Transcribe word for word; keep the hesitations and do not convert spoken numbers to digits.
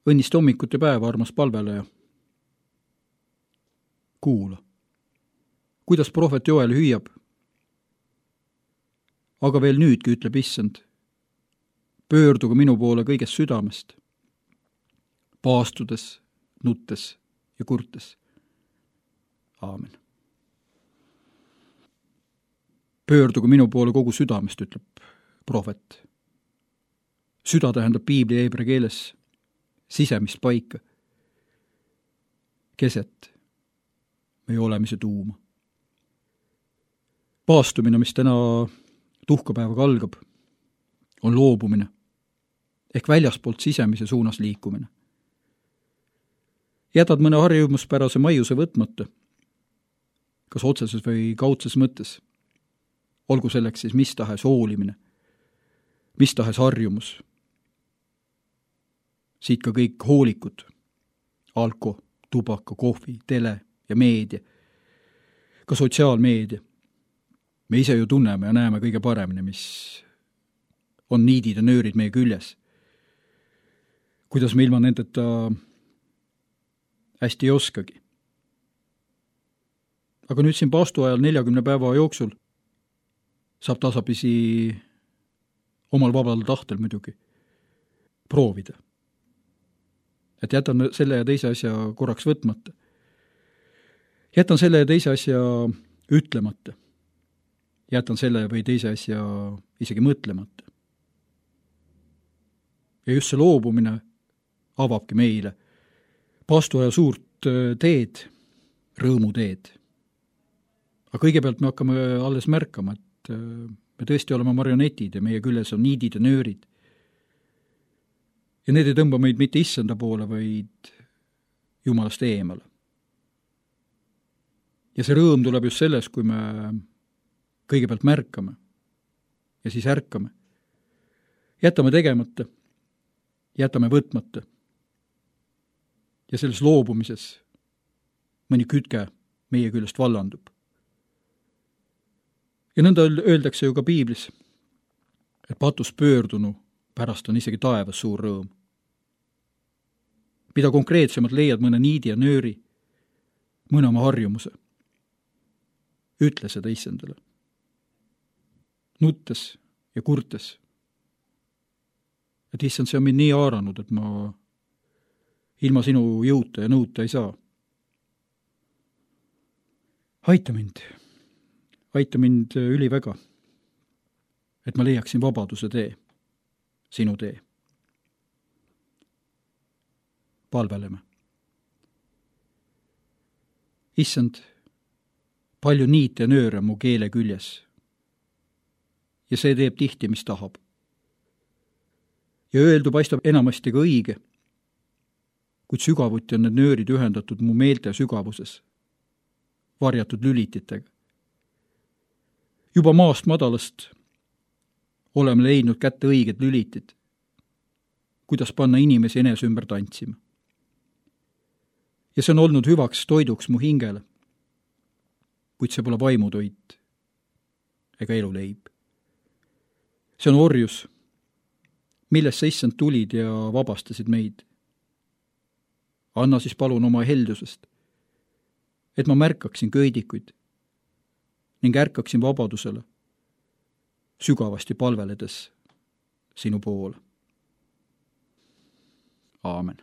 õnnist hommikute päeva, armas palveleja. Kuula, kuidas prohvet Joel hüüab. Aga veel nüüdki, ütleb issand, pöörduge minu poole kõigest südamest, paastudes, nuttes ja kurtes. Aamen. Pöörduge minu poole kogu südamest, ütleb prohvet. Süda tähendab piibli heebrea keeles sisemist paika, keset meie olemise tuuma. Paastumine, mis täna tuhkapäevaga algab, on loobumine ehk väljaspoolt sisemise suunas liikumine. Jätad mõne harjumuspärase maiuse võtmata, kas otseses või kaudses mõttes, olgu selleks siis mis tahes hoolimine, mis tahes harjumus. Siit ka kõik hoolikud, alko, tubaka, kohvi, tele ja meedia, ka sotsiaalmeedia. Me ise ju tunneme ja näeme kõige paremini, mis on niidid ja nöörid meie küljes. Kuidas me ilma nendeta hästi ei oskagi. Aga nüüd siin paastu ajal neljakümne päeva jooksul saab tasapisi omal vabal tahtel muidugi proovida. Et jätan selle ja teise asja korraks võtmata. Jätan selle ja teise asja ütlemata. Jätan selle või teise asja isegi mõtlemata. Ja just see loobumine avabki meile paastuaja suurt teed, rõõmuteed. Aga kõigepealt me hakkame alles märkama, et me tõesti oleme marionetid ja meie küljes on niidid ja nöörid. Ja need ei tõmba meid mitte issanda poole, vaid Jumalast eemale. Ja see rõõm tuleb just selles, kui me kõigepealt märkame ja siis ärkame. Jätame tegemata, jätame võtmata. Ja selles loobumises mõni kütke meie küljest vallandub. Ja nõnda öeldakse ju ka piiblis, et patus pöördunu pärast on isegi taevas suur rõõm. Mida konkreetsemalt leiad mõne niidi ja nööri, mõne oma harjumuse. Ütle seda issandale. Nuttes ja kurtes. Et issand, see on mind nii haaranud, et ma ilma sinu jõuta ja nõuta ei saa. Aita mind. Aita mind üliväga, et ma leiaksin vabaduse tee, sinu tee. Palveleme. Issand, palju niite ja nööre mu keele küljes. Ja see teeb tihti, mis tahab. Ja öeldu paistab enamasti ka õige, kuid sügavuti on need nöörid ühendatud mu meelte sügavuses, varjatud lülititega. Juba maast madalast oleme leidnud kätte õiged lülitid, kuidas panna inimesi enese ümber tantsima. Ja see on olnud hüvaks toiduks mu hingele, kuid see pole vaimutoit ega eluleib. See on orjus, millest sa issand tulid ja vabastasid meid. Anna siis palun oma heldusest, et ma märkaksin köidikuid ning ärkaksin vabadusele, sügavasti palveledes sinu poole. Aamen.